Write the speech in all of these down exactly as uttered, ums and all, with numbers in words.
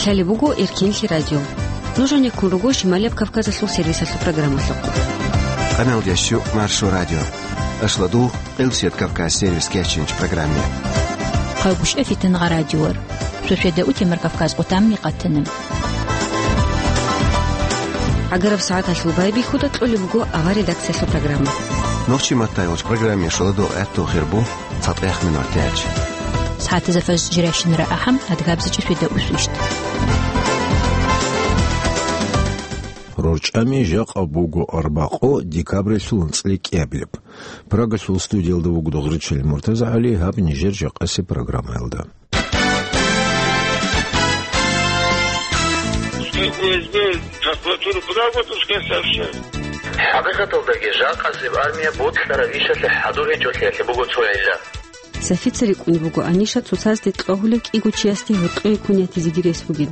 Лъалеб буго Эркенлъи радио. Нуж гьанеккун руго Шималияб Кавказалъул сервисалъул программалъухъ. Къаналдящу Маршо радио. Ашладу, Къилсият Кавказ сервис кечинч программе. Хъавгушев Фитангъа радиор. Шошведа утемар Кавказ къутамни къатана. ГӀагараб сагӀаталъул байбихьуда кьолеб буго авар редакциялъул программа. Нохчи маттайолч программе шоладо гӀатту хирбу. ЦатӀех минутач. СагӀатазда фаз жирайщинара ахӀам, адгабзачӀа фида усвищт. РорчӀами жакъа буго арбакъо декабралъул анцӀила кӀиабилеб. Прагалъул студиялда вуго Дугъричил МуртазагӀали, гьаб нижер жакъаси программаялда. Пускай Ф С Б, прокуратура, куда вот пускай сообщает. ХӀакъикъаталдаги жакъасеб армия бокьараб ишалъе хӀадур гьечӀолъиялъе буго цо гӀилла. Сафица рикӀкӀунеб буго Аниша цоцазде кьвагьулев кӀиго чиясде гьоркьое ккун ятизеги рес бугин.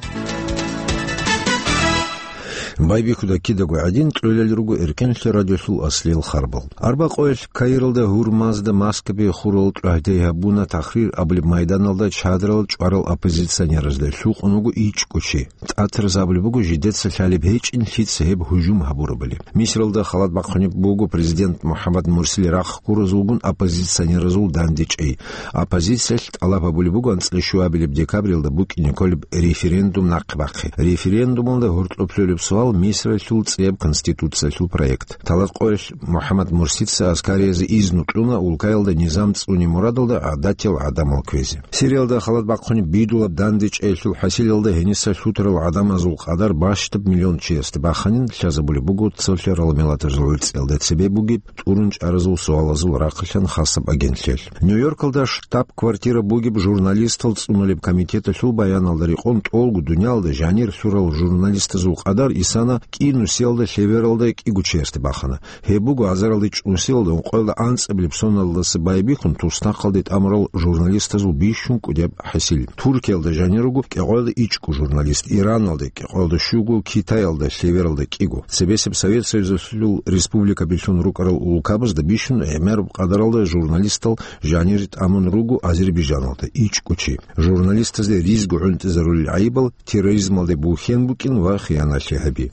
Байбихьуда кидаго гӀадин, кьолел руго Эркенлъи радиолъул аслиял харбал. Арбакъоялъ Каиралда, Гьурмазда, Маскабе хурал тӀагьде гьабуна Тахрир абулеб майданалда чадрал чӀварал оппозиционеразда, лъукъун вуго ичӀго чи. ТӀатразабулеб буго жидеца лъалеб гьечӀин лъица гьеб гьужум гьабурабали. Мисралда халат бахъунеб буго президент МухӀаммад Мурсили рахъ гуразулгун оппозиционеразул дандечӀей. Оппозициялъ тӀалаб гьабулеб буго анцӀила щуабилеб декабралда букӀине кколеб референдум нахъе бахъи. Референдумалда гьоркьоб лъолеб суал Мисралъул цӀияб конституциялъул проект. Талат къоялъ МухӀаммад Мурсица аскариязде изну кьуна улкаялда низам цӀунеб мурадалда гӀадатиял гӀадамал кквезе. Сириялда халат бахъунеб бидулаб дандечӀеялъул хӀасилалда гьениса лъутарал гӀадамазул къадар бащдаб миллион чиясде баханин лъазабулеб буго цолъарал миллатазул гӀицӀиялда цебе бугеб тӀурун чӀаразул суалазул рахъалъан хасаб агентлъиялъ. Нью-Йоркалда штаб-квартира бугеб журналистал цӀунулеб комитеталъул баяналда рекъон тӀолго дуниялда жанир лъурал журналистазул къадар исана кӀи нусиялда лъевералда кӀиго чиясде бахана. Гьеб буго азаралда чӀунусиялда ункъоялда анцӀабилеб соналдаса байбихьун туснахъалде тӀамурал журналистазул бищун кӀудияб хӀасил. Туркиялда жанир руго кӀикъоялда ичӀго журналист, Ираналда кӀикъоялда щуго, Китаялда лъевералда кӀиго. Цебесеб Совет Союзалъул республикабилъун рукӀарал улкабазда бищун гӀемераб къадаралда журналистал жанир тӀамун руго Азербайжаналда ичӀго чи. Журналистазде ризго гӀунтӀизарулел гӀайибал терроризмалде бухьен букӀин ва хиянатлъи гьаби.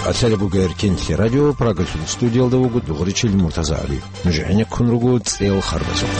Къасалеб буго Эркенлъи радио, Прагалъул студиялда вуго Дугъричил МуртазагӀали. Нуж гӀенеккун руго цӀел харбазухъ.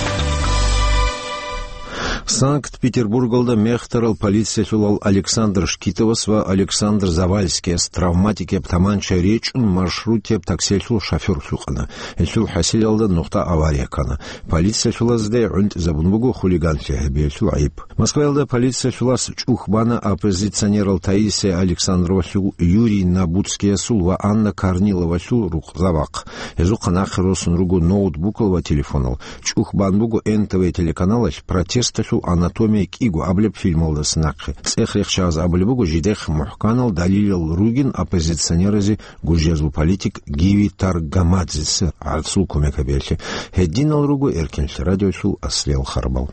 Санкт-Петербургалда мехтарал полициялъулал Александр Шкитовас ва Александр Завальскияс травматикияб таманча речӀун маршрутияб таксиялъул шофер лъукъана. Гьелъул хӀасилалда нухда авария ккана. Полициялъулазде гӀунтӀизабун буго хулиганлъи гьабиялъул гӀайиб. Москваялда полициялъулас чӀух бана оппозиционерал Таисия Александровалъул, Юрий Набутскиясул ва Анна Корниловалъул рукъзабахъ. Гьезухъа нахъе росун руго ноутбукал ва телефонал. ЧӀух бан буго Н Т В телеканалалъ «Протесталъул анатомия кӀиго» абулеб фильмалдаса нахъе. ЦӀех рехчааз абулеб буго, жидехъ мухӀканал далилал ругин оппозиционеразе гужязул политик Гиви Таргамадзеца гӀарцул кумек гьабиялъе. Гьединал руго Эркенлъи радиолъул аслиял харбал.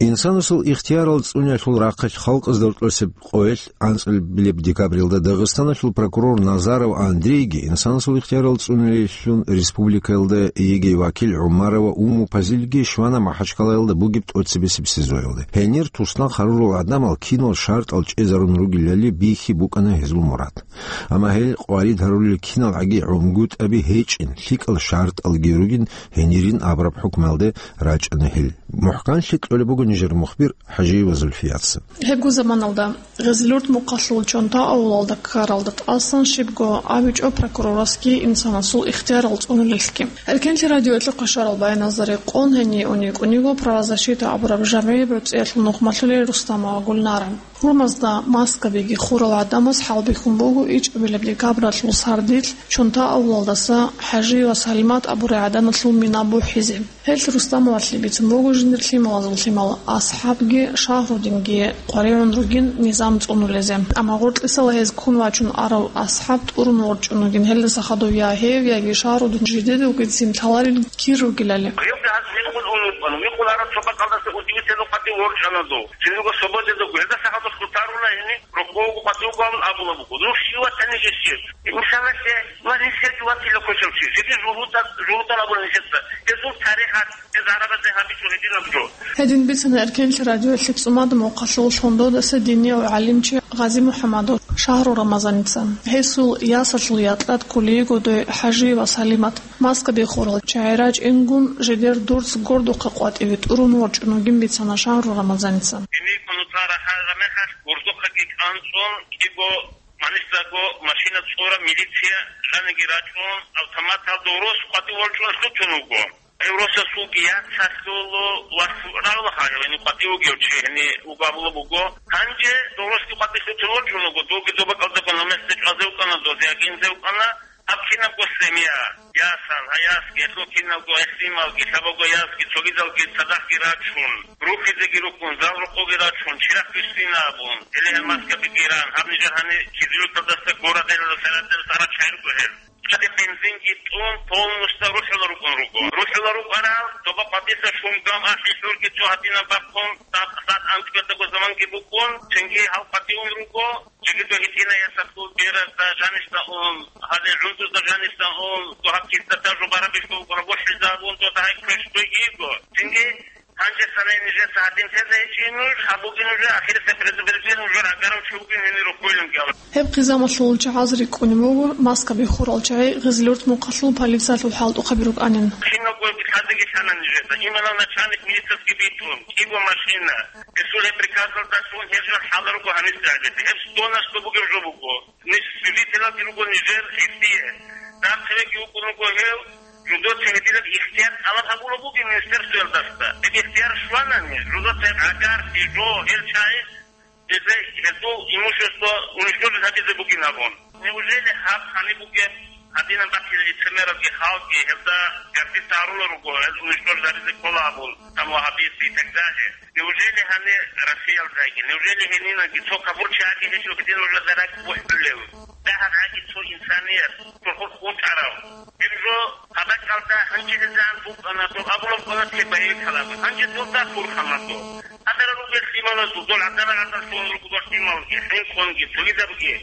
Инсанасул ихтиярал цӀуниялъул рахъалъ халкъазда рокьосеб къоялъ анцӀабилеб декабрилда Дагъистаналъул прокурор Назаров Андрейги, инсанасул ихтиярал цӀуниялъун республикаялда йигей вакил ГӀумарова Уму Пазилги щвана Махачкалаялда бугеб тӀоцебесеб СИЗОялда. Гьенир туснахъ гьарурал гӀадамал кинал шартӀал чӀезарун ругелали бихьи букӀана гьезул мурад. Амма гьел къварид гьарулел киналгӀаги гӀунгутӀаби гьечӀин, лъикӀал шартӀалги ругин, гьенирин абураб хӀукмуялде рачӀана гьел. МухӀканлъи кьолеб буго нижер мухбир ХӀажиева Зульфияца. Гьебго заманалда Гъезлъурт мухъалъул Чонта авулалда ккаралда тӀасан щибго абичӀо прокурорасги инсанасул ихтиярал цӀунулелъги. Эркенлъи радиоялъухъе щварал баяназда рекъон, гьение ун йикӀуниго правозащита абураб жамгӀияб гӀурцӀиялъул нухмалъулел Рустамова Гульнара. Гьурмазда Маскабиги хурал гӀадамаз хӀалбихьун буго ичӀабилеб декабралъул сардилъ Чонта авулалдаса ХӀажиева Салимат абурай гӀаданалъул мина бухӀизе. Гьелъ Рустамовалъе бицун буго жиндир лъималазул лъимал АсхӀабги Шагьрудинги къваригӀун ругин низам цӀунулезе. Амма гъоркьисал гьез ккун вачун арав АсхӀаб тӀурун ворчӀун вугин, гьелдаса хадув я гьев, яги Шагьрудин жидеда вугевцин лъаларел кир ругелали. Гьев гьаз вихъун унукъан, вихъун арав цо бакӀалдаса удивительно къватӀив ворчӀана дов. Цинги свободада гьелдаса хадув хутарула гьениб. Гъов къватӀив гъавун абулаб буго: «Ну, щив ватани жесир? Инсаналъе ва нилъеги ватила кочав чи. Жеги жугьутӀа-, жугьутӀал абула нилъеца. Гьезул тарихалъ, гьез гӀарабазе гьабичӀо гьединаб жо». Гьедин бицана Эркенлъи радиоялъе ЦӀумадумухъалъул Лъондодаса динияв гӀалимчи Гъази МухӀамадов Шагьру Рамазаница. Гьесул ясалъул якьад кколей годой ХӀажи ва Салимат. Маска биххурал чагӀи рачӀингун, жидер дурц гордухъе къватӀиве тӀурун ворчӀун вугин бицана Шагьру Рамазаница. Гьениб нуца рахъараб мехалъ гурдухъеги кӀанцӀун, кӀиго, гьанисдаго машина цӀураб милиция жаниги рачӀун, автоматалда рос къватӀив ворчӀун лъутун вуго. Гьев росасулги яцалъул вас рагӀулаха, гьев гьениб къватӀив вугев чи гьениб вуго абулаб буго. Гьанже дов росги къватӀив лъутун ворчӀун вуго, довги доба кӀалдагун гьев месда чӀвазе вукӀана, дозе агинзе вукӀана. Гьаб кинабго семья, ясал, гьаясги, гьелъул киналго гӀисинмалги, лъабабго ясги, цогидалги цадахъги рачун, рухизеги рукӀун, зал рокъоги рачун, чирахъ бихьина абун, гьеле гьел маскаби гиран, гьаб нижер гьанир кизилуталдаса гора делалда сарател сарачай руго гьел. Чаде бензинги тӀун, полностью рухӀула рукӀун руго. РухӀула рукӀарал, доба къватӀиса шунгам ахӀи хӀурги цо гьадинаб бахъун, сад, сад анцӀбетаго заманги букӀун, цинги гьал къватӀивун руго. Жеги дов гьитӀина ясалъул беразда жанисда ун, гьале гӀундузда жанисда ун, дов гьаб кистата жубараб бихьулгун, бухӀизабун, дов дагьай квеш дойги йиго. Цинги гьанже санай нижеца гьадин тезе гьечӀин нуж, гьаб бугин нуж, ахирисеб предупреждение нужер агарав чи вугин гьенир рухӀуйлинги абун. Гьеб хъизамалъул чагӀаз рикӀкӀунеб буго, маска биххурал чагӀи Гъизлюрт мухъалъул полициялъул хӀалтӀухъаби рукӀанин. Кинабго лъазеги лъана нижеца, именно начальник милициясги битӀун, кӀиго машина. Гьесул гьеб приказалдалъун гьеб жо хӀаларуго гьанисда гьабизе. Гьеб сто на сто бугеб жо буго. Ниж свидетелалги руго нижер гьесие. Дагьабги вукӀун вуго гьев, жидеца гьединаб ихтияр тӀалаб гьабулеб бугеб министерствоялдаса. Гьеб ихтияр щванани, жидеца гьеб гӀагар, жо, гьел чагӀи, гьезда, гьезул имущество уничтожить гьабизе бугин абун. Неужели гьаб гьаниб бугеб гьадинаб баккила лицемералги халкъги гьелда гордиться гьарула руго, гьез уничтожить гьабизе ккола абун, там ваххабисты и так далее? Неужели гьанир Россиялдаги, неужели гьенинаги цо капурчи аги гьечӀо гьедин нужеда ракӀ бухӀулев? Дагьаб аги цо инсаният, цо хурхун чӀарав. Гьеб жо гьаб бакӀалда гьанже гьезан букӀана, дов абулаб кӀвана цеб байбихьалаго. Гьанже дов дагь хурхана дов. Гьадара ругел лъималазул, дол гӀадара гӀадалъун ругел лъималги, хӀинкъунги, цогидабги.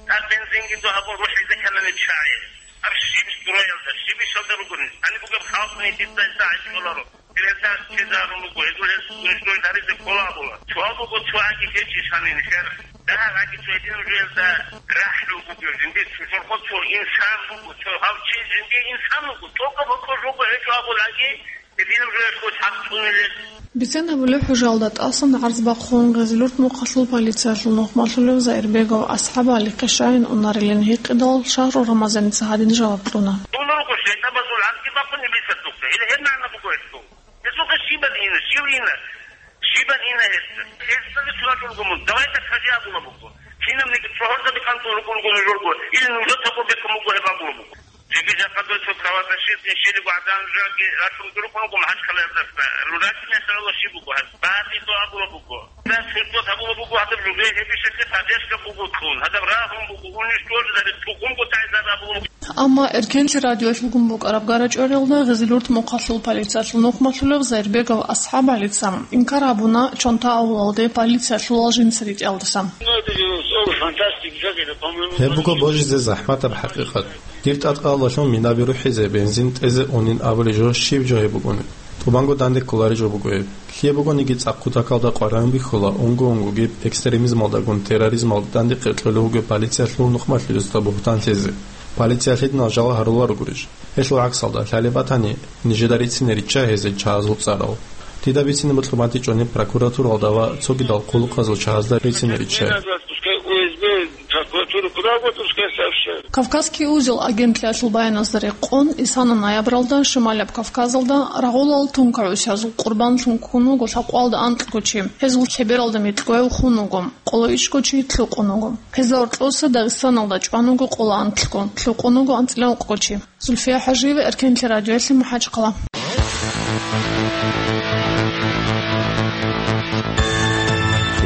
Гьаб бензинги дов гьабун рухӀизе кканани чагӀи. Гьаб щиб строялда, щиб ишалда ругони? Гьаниб бугеб халкъ нилъеца гьечӀоларо. Гьелда чезарун руго, гьезул гьез уничтожить гьаризе ккола абула. Цо буго, цо аги гьечӀищ гьанин хер. Дагьаб аги цо гьедин жуялда рахӀлу буго, жиндир цо чорхол цо инсан буго, цо гьав чи жиндир инсан буго, цо кабакъо жого гьечӀо абулаги, гьединаб жуялъго хӀакъ цӀунилел. Бицен гьабулеб, хӀужалда тӀасан гӀарз бахъун Гъизлюрт мухъалъул полициялъул нухмалъулев Заирбегов АсхӀаб ГӀалихъе щайин унарилан гьикъидал, Шагьру Рамазаница гьадин жаваб кьуна. Дун руго шайтӀабазул гӀарзги бахъун иблисасухъе. Гьеле гьеб магӀна буго гьелъул. Гьесухъе щибан ина, щив ина? Щибан ина гьесда? Гьесдаги цо рачӀун руго мун. Давай так скажи абула буго. Кинабниги цо гьорзаби кантӀун рукӀун руго нужерго, или нужецаго бекун буго гьеб абула буго. Жеги жакъа дой цо правозащитный щилиго гӀадан жаги рачун рукӀун руго МахӀачхъалаялдаса. Руракин ясарала щиб буго гьаб? БатӀи то абула буго. Гьеб суртот гьабула буго гьадаб жугье гьеб ишалъе поддержка буго кьун. Гьадаб рагьун буго, уничтожить гьари, тухумго тайзар абула буго. Амма Эркенлъи радиоялъ бугун букӀараб гарачӀваралда Гъизлюрт мухъалъул полициялъул нухмалъулев Заирбегов АсхӀаб ГӀалица инкар гьабуна Чонта авлалде полициялъулал жинца ритӀиялдаса. Ну, это же слово фантастика, как это, по-моему, Гьеб буго божизе захӀматаб хӀакъикъат. Дир тӀадкъалалъун минаби рухӀизе, бензин тӀезе унин абулеб жо щиб жо гьеб букӀунеб? ТӀубанго данде кколареб жо буго гьеб. Лъие бугониги цӀакъу такалда къваригӀун бихьула, унго-унгоги экстремизмалдагун терроризмалда данде къеркьулев вугев полициялъул нухмалъулесда бугьтан лъезе. Полиция лъидал жал гьаруларогурищ? Гьелъул гӀаксалда, лъалеб батани, нижеда рицине ричча гьезие чагӀазул цӀарал. Дида бицине бокьун батичӀони прокуратуралда ва цогидал хъулухъазул чагӀазда рицине риччай. Прокуратура куда вот, пускай сообщает. Кавказский узел агентлъиялъул баяназда рекъон, исана ноябралда Шималаб Кавказалда рагъулал тункагӀусиязул къурбанлъун ккун вуго лъабкъоялда анкьго чи. Гьезул лъебералда микьгояв хун вуго, къоло ичӀго чи лъукъун вуго. Гьезда гьоркьоса Дагъистаналда чӀван вуго къоло анкьго, лъукъун вуго анцӀила ункъго чи. Зульфия ХӀажиева, Эркенлъи радиоялъе, МахӀачхъала.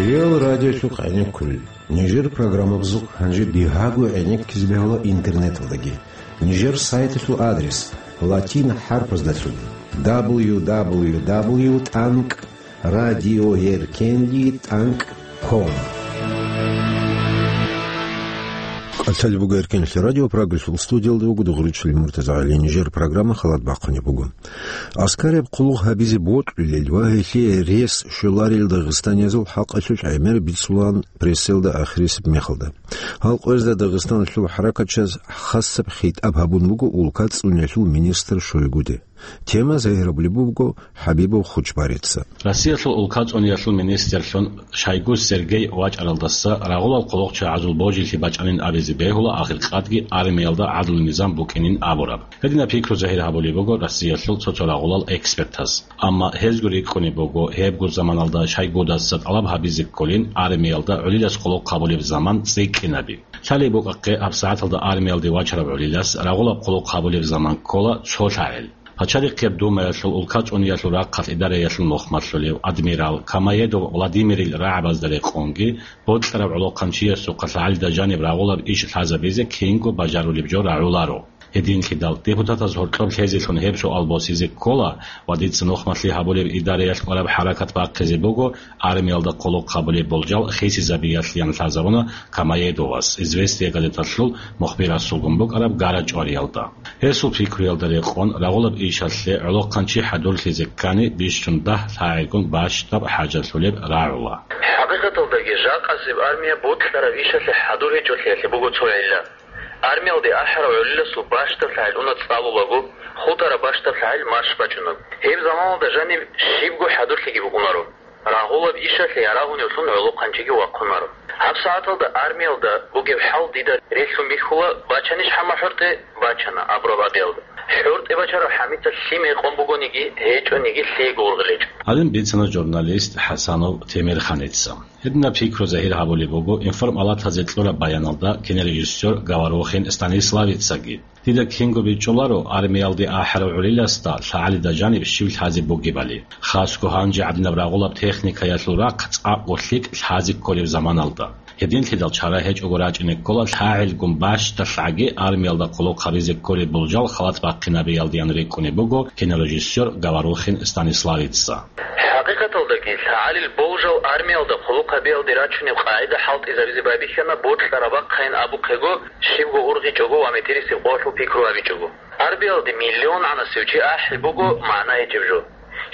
Реал радиолъухъ гӀенеккулел. Нижер программабазухъ гьанже дигьаго гӀенеккизе бегьула интернеталдаги. Нижер сайталъул адрес латин хӀарпаздалъун: дабл ю дабл ю дабл ю тӀанкӀ радиоеркенлъи тӀанкӀ ком. КӀалъалеб буго Эркенлъи радио, Прагалъул студиялда вуго дугӀручилин МуртазагӀили. Нижер программа халат бахъунеб буго. Аскарияб хъулухъ гьабизе бокьулел ва гьелъие рес щоларел дагъистаниязул хӀакъалъулъ гӀемер бицулаан прессаялда ахирисеб мехалда. Гьал къоязда Дагъистаналъул хӀаракатчияз хасаб хитӀаб гьабун буго улка цӀуниялъул министр Шойгуде. Тема загьирабулеб буго ХӀабибов Хучбарица. Россиялъул улка цӀуниялъул министрлъун Шойгу Сергей вачӀаралдаса рагъулал хъулухъчагӀазул божилъи бачӀанин абизе бегьула ахиркъадги армиялда гӀадлу-низам букӀинин абураб. Гьединаб пикру загьир гьабулеб буго Россиялъул цо-цо рагъулал экспертаз. Амма гьезго рикӀкӀунеб буго, гьебго заманалда Шойгудаса тӀалаб гьабизе кколин армиялда гӀолилас хъулухъ гьабулеб заман цӀикӀкӀинаби. Лъалеб букӀахъе, гьабсагӀаталда армиялде вачарав гӀолилас рагъулаб хъулухъ гьабулеб заман ккола цо лъагӀел. Пачалихъияб Думаялъул улка цӀуниялъул рахъалъ идараялъул нухмалъулев адмирал Камаедов Владимирил рагӀабазда рекъонги, бокьараб гӀолохъанчиясухъа лъагӀалида жаниб рагъулаб иш лъазабизе кинго бажарулеб жо рагӀуларо. Гьединлъидал депутатаз гьоркьоб лъезелъун гьеб суал босизе ккола ва дица нухмалъи гьабулеб идараялъ кӀвараб хӀаракат бахъизе буго армиялда хъулухъ гьабулеб болжал хисизабиялъеян лъазабуна Камаедовас Известия газеталъул мухбирасулгун букӀараб гара-чӀвариялда. Гьесул пикруялда рекъон, рагъулаб ишалъе гӀолохъанчи хӀадурлъизе ккани бищун дагь лъагӀелгун бащдаб хӀажалъулеб рагӀула. ХӀакъикъаталдаги, жакъасеб армия бокьараб ишалъе хӀадур гьечӀолъиялъе буго цо гӀилла. Армиялде ахӀарав гӀолиласул бащдаб лъагӀел уна цӀалулаго, хутӀараб бащдаб лъагӀел марш бачунаго. Гьеб заманалда жаниб щибго хӀадурлъиги букӀунаро. Рагъулаб ишалъе ярагьуневлъун гӀолохъанчиги вахъунаро. ГьабсагӀаталда армиялда бугеб хӀал дида релълъун бихьула, бачанищ гьамма хӀортӀе? Бачана, абураб гьабиялда. ХӀортӀе бачарав хӀамица лъим гьекъон бугониги, гьечӀониги лъиего ургъел гьечӀо. Гьадин бицана журналист ХӀасанов Темирханица. Гьединаб пикру загьир гьабулеб буго информалатазе кьураб баяналда кинорежиссер Говорухин Станиславицаги. Дида кинго бичӀчӀуларо армиялде ахӀарав гӀолиласда лъагӀалида жаниб щив лъазе бугебали. Хасго гьанже гӀадинаб рагъулаб техникаялъул рахъ цӀакъго лъикӀ лъазе кколеб заманалда. Гьединлъидал чара гьечӀого рачӀине ккола лъагӀелгун бащдалъаги армиялда хъулухъ гьабизе кколеб болжал халат бахъинабиялдеян рикӀкӀунеб буго кинорежиссер Говорухин Станиславица. ХӀакъикъаталдаги, лъагӀалил болжал армиялда хъулухъ гьабиялде рачунеб къагӀида хӀалтӀизабизе байбихьана, бокьараб бахъайин абухъего, щибго ургъичӀого ва метерисеб къоялъул пикру гьабичӀого. Армиялде миллион гӀанасев чи ахӀи буго магӀна гьечӀеб жо.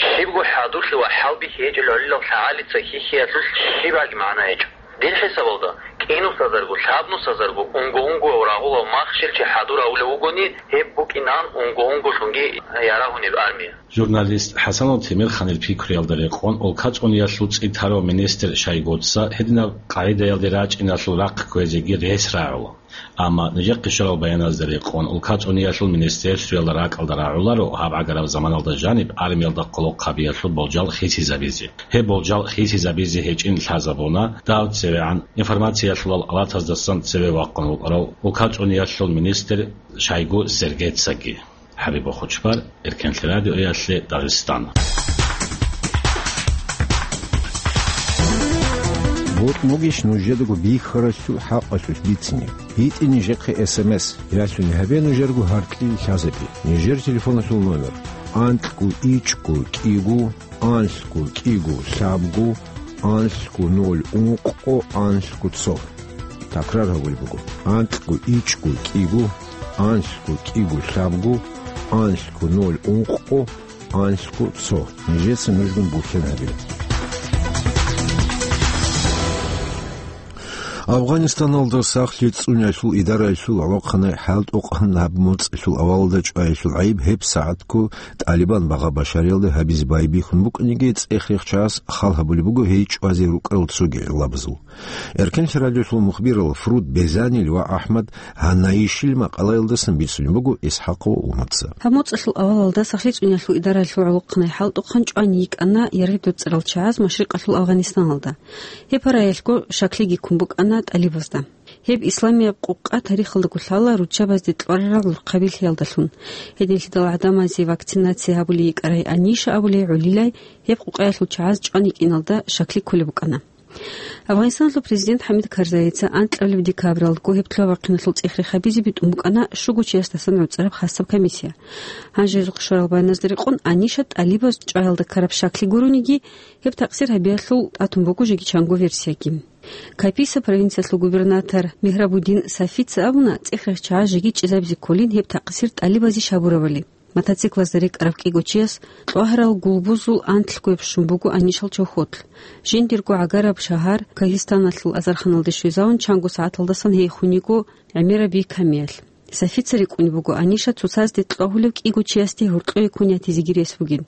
Щибго хӀадурлъи ва хӀалбихьи гьечӀел гӀолилал лъагӀалица хьихьиялъулъ щибалги магӀна гьечӀо. Дир хӀисабалда, кӀинусазарго, лъабнусазарго, унго-унгояв рагъулав махщел чи хӀадур авулев вугони, гьеб букӀинаан унго-унголъунги ярагьунеб армия. Журналист ХӀасанов Темирханил пикруялда рекъон, улка цӀуниялъул цӀитарав министр Шойгуца гьединаб къагӀидаялде рачӀиналъул рахъ кквезеги рес рагӀула. Амма нижехъе щварал баяназда рекъон, улка цӀуниялъул министерствоялда ракӀалда рагӀуларо гьаб гӀагараб заманалда жаниб армиялда хъулухъ гьабиялъул болжал хисизабизе. Гьеб болжал хисизабизе гьечӀин лъазабуна дав цевегӀан информациялъулал алатаздасан цеве вахъун вукӀарав улка цӀуниялъул министр Шойгу Сергейцаги. ХӀабиб Хучбар, Эркенлъи радиоялъе, Дагъистан. Бокьугищ нужедаго бихьаралъул хӀакъалъулъ бицине? ГьитӀе нижехъе эс эм эс, ялъуни гьабе нужерго гьаркьил лъазаби. Нижер телефоналъул номер: анкьго ичӀго кӀиго, анлъго кӀиго лъабго, анлъго ноль ункъго, анлъго цо. Такрар гьабулеб буго: анкьго ичӀго кӀиго, анлъго кӀиго лъабго, анлъго ноль ункъго, анлъго цо. Нижеца нужгун бухьен гьабила. Афганистаналда сахлъи цӀуниялъул идараялъул гӀолохъанай хӀалтӀухъан гьаб моцӀалъул авалалда чӀваялъул гӀайиб гьеб сагӀатго ТӀалибан багъа Башариялда гьабизе байбихьун букӀаниги, цӀех-рехчагӀаз хал гьабулеб буго гьей чӀвазе рукӀарал цоги гӀиллабазул. Эркенлъи радиолъул мухбирал Фруд Безанил ва АхӀмад Гьанаишил макъалаялдасан бицунеб буго ИсхӀакъова Уматца. Гьаб моцӀалъул авалалда сахлъи цӀуниялъул идараялъул гӀолохъанай хӀалтӀухъан чӀван йикӀана яргъи доцӀцӀарал чагӀаз машрикъалъул Афганистаналда. Гьеб параялъго шаклиги ккун букӀана тӀалибазда. Гьеб исламияб къукъа тарихалдаго лъала руччабазде кьварарал рухъабилъиялдалъун. Гьединлъидал гӀадамазе вакцинация гьабулей йикӀарай Аниша абулей гӀолилай гьеб къукъаялъул чагӀаз чӀван йикӀиналда шакли кколеб букӀана. Афганистаналъул президент ХӀамид Карзаица анкьабилеб декабралдаго гьеб лъугьа-бахъиналъул цӀех-рех гьабизе битӀун букӀана щуго чиясдасан гӀуцӀараб хасаб комиссия. Гьанже гьезухъ щварал баяназда рекъон, Аниша тӀалибаз чӀваялда ккараб шакли гурониги, гьеб такъсир гьабиялъул тӀатун буго жеги чанго версияги. Каписа провинциялъул губернатор Мегьрабудин Сафица абуна, цӀех-рехчагӀаз жеги чӀезабизе кколин гьеб такъсир тӀалибазе щай гьабурабали. Мотоциклазда рекӀараб кӀиго чияс кьвагьарал гулбузул анлъго щун буго Анишал чохьолъ. Жиндирго гӀагараб шагьар Кагьистаналъул Азарханалде щвезавун, чанго сагӀаталдасан гьей хун йиго гӀемераб бикамиялъ. Сафица рикӀкӀунеб буго Аниша цоцазде кьвагьулев кӀиго чиясде гьоркьое ккун ятизеги рес бугин.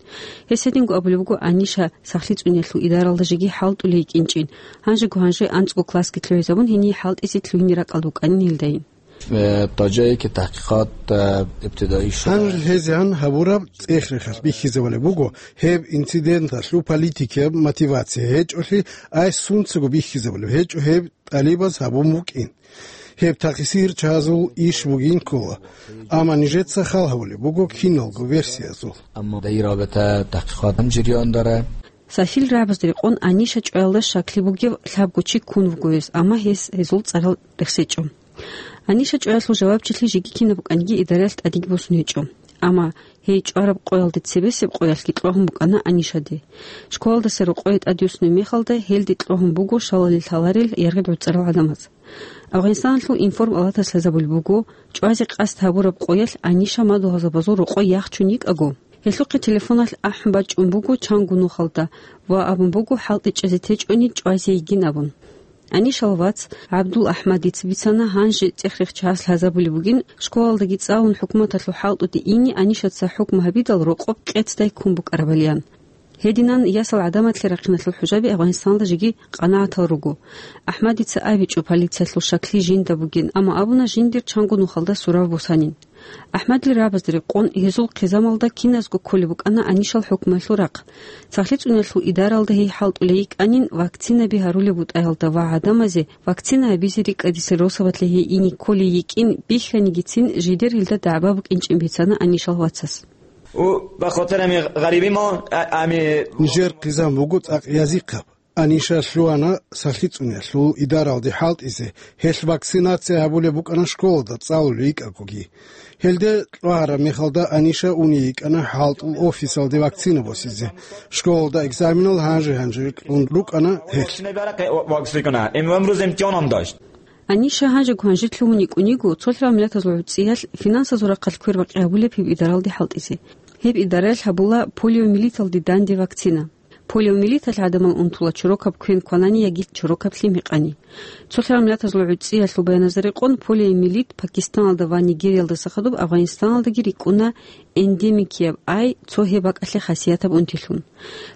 Гьес гьединго абулеб буго Аниша сахлъи цӀуниялъул идаралда жеги хӀалтӀулей йикӀинчӀин, гьанжего-гьанже анцӀго классги лъугӀизабун, гьение хӀалтӀизе лъугьине ракӀалда букӀанин гьелдайин. Э, таджейки тахкикъат, э, ибтидаи шура. Гьанже гьезегӀан гьабураб цӀех-рехалъ бихьизабулеб буго, гьеб инциденталъул политикияб мотивация гьечӀолъи, ай сунцаго бихьизабулеб гьечӀо гьеб тӀалибаз гьабун букӀин. Гьеб такъсир чагӀазул иш бугин ккола, амма нижеца хал гьабулеб буго киналго версиязул. Амма даирабата тахкикъат гьанжериан дара. Сафил рагӀабазда рекъон Аниша чӀваялда щаклъи бугев лъабго чи ккун вуго гьес, амма гьес гьезул цӀарал рехсечӀо. Аниша чӀваялъул жавабчилъи жеги кинаб букӀаниги идараялъ тӀадеги босун гьечӀо. Амма гьей чӀвараб къоялде цебесеб къоялъги кьвагьун букӀана Анишаде. Школалдаса рокъое тӀадвуссунеб мехалда гьелде кьвагьун буго щалалил лъаларел яргъи гӀуцӀарал гӀадамаз. Афганистаналъул информпалатас лъазабулеб буго, чӀвазе къасд гьабураб къоялъ Аниша мадугьалзабазул рокъой яхчун йикӀаго, гьелъухъе телефоналъ ахӀун бачӀун буго чанго нухалда ва абун буго хӀалтӀичӀезе течӀони чӀвазе йигин абун. Анишал вац ГӀабдул-АхӀмадица бицана, гьанже цӀех-рехчагӀаз лъазабулеб бугин, школалдаги цӀалун хӀукуматалъул хӀалтӀуде ине Анишаца хӀукму гьабидал рокъоб къецдай ккун букӀарабалиан. Гьединан ясал гӀадаматлъи рахъиналъул хӀужаби Афганистаналда жеги къанагӀатал руго. АхӀмадица абичӀо полициялъул щаклъи жинда бугин, амма абуна жиндир чанго нухалда сурав босанин. АхӀмадил рагӀабазда рекъон гьезул хъизамалда киназго кколеб букӀана Анишал хӀукмуялъул рахъ. Сахлъи цӀуниялъул идаралда гьей хӀалтӀулей йикӀанин вакцинаби гьарулеб бутӀаялда ва гӀадамазе вакцина гьабизе рикӀкӀадисел росабалъе гьей ине кколей йикӀин бихьанигицин жидер гьелда дагӀба букӀинчӀин бицана Анишал вацас. Ва бахатирами гъариби ма, а, ами. Нижер хъизан буго цӀакъ язихъаб. Аниша лъугьана сахлъи цӀуниялъул идаралде хӀалтӀизе, гьелъ вакцинация гьабулеб букӀана школалда цӀалулев йикӀагоги. Гьелде кьвагьараб мехалда Аниша уней йикӀана хӀалтӀул офисалде вакцина босизе. Школалда экзаменал гьанже-гьанже кьун рукӀана гьелъ. Аниша гьанжего-гьанже лъугьун йикӀун йиго, цолъарал миллатазул гӀуцӀиялъ финансазул рахъалъ квербакъи гьабулеб гьеб идаралде хӀалтӀизе. Гьеб идараялъ гьабула полиомиелиталде данде вакцина. Полиомиелиталъ гӀадамал унтула чорокаб квен кванани яги чорокаб лъим гьекъани. Цолъарал миллатазул гӀуцӀиялъул баяназда рекъон, полиомиелит Пакистаналда ва Нигериялдаса хадуб Афганистаналдаги рикӀкӀуна эндемикияб, ай цо гьеб бакӀалъе хасиятаб унтилъун.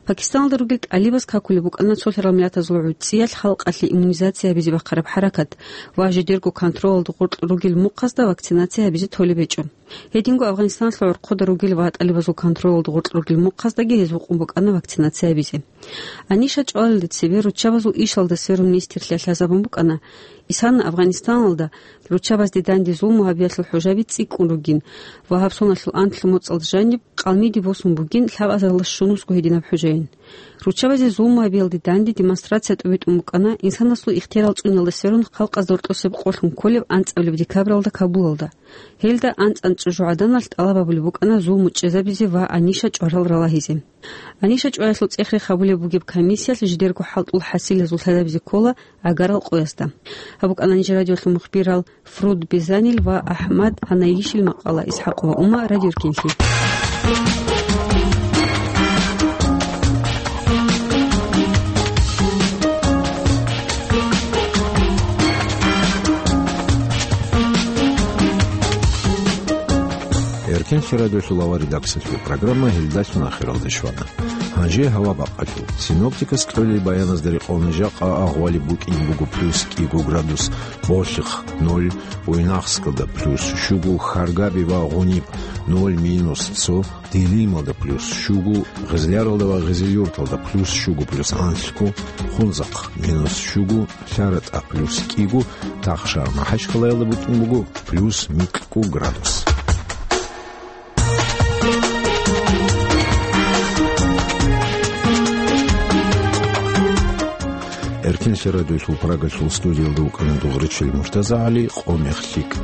Пакистаналда ругел тӀалибаз какулеб букӀана цолъарал миллатазул гӀуцӀиялъ халкъалъе иммунизация гьабизе бахъараб хӀаракат ва жидерго контролалда гъоркь ругел мухъазда вакцинация гьабизе толеб гьечӀо. Гьединго Афганистаналъул гӀорхъода ругел ва тӀалибазул контролалда гъоркь ругел мухъаздаги гьез вукъун букӀана вакцинация гьабизе. Аниша чӀвалелде цебе руччабазул ишалда сверун нилъер лъазабун букӀана, исана Афганистаналда руччабазде данде зулму гьабиялъул хӀужаби цӀикӀкӀун ругин ва гьаб соналъул анлъго моцӀалда жаниб къалмиде босун бугин лъабазаралда щунусго гьединаб хӀужаин. Руччабазе зулму гьабиялде данде демонстрация тӀубитӀун букӀана инсанасул ихтиярал цӀуниялда сверун халкъазда гьоркьосеб къолъун кколеб анцӀабилеб декабралда Кабулалда. Гьелда анцӀ-анцӀ жо гӀаданалъ тӀалаб гьабулеб букӀана зулму чӀезабизе ва Аниша чӀварал ралагьизе. Аниша чӀваялъул цӀех-рех гьабулеб бугеб комиссиялъ жидерго хӀалтӀул хӀасилазул лъазабизе ккола гӀагарал къоясда. Гьаб букӀана нижер радиолъул мухбирал Фруд Безанил ва АхӀмад Гьанаишил макъала. Исхьакъова Ума, Радио Эркенлъи. Эркенлъи радиолъул авар редакциялъул программа гьелдалъун ахиралде щвана. Гьанже гьава бакъалъул. Синоптикас кьолел баяназда рекъон жакъа агъвали букӀин буго плюс кӀиго градус, Болъихъ ноль, Буйнакскалда плюс щуго, Харгаби ва Гъуниб ноль, минус цо, Дилималда плюс щуго, Гъизляралда ва Гъизилюрталда плюс щуго, плюс анлъго, Хунзахъ минус щуго, ЛъаратӀа плюс кӀиго, Тахшар МахӀачхъалаялда букӀун буго плюс микьго градус. Эркенлъи радиолъул Прагалъул студиялда вукӀана дугъричил МуртазагӀали, къо-мех лъикӀ.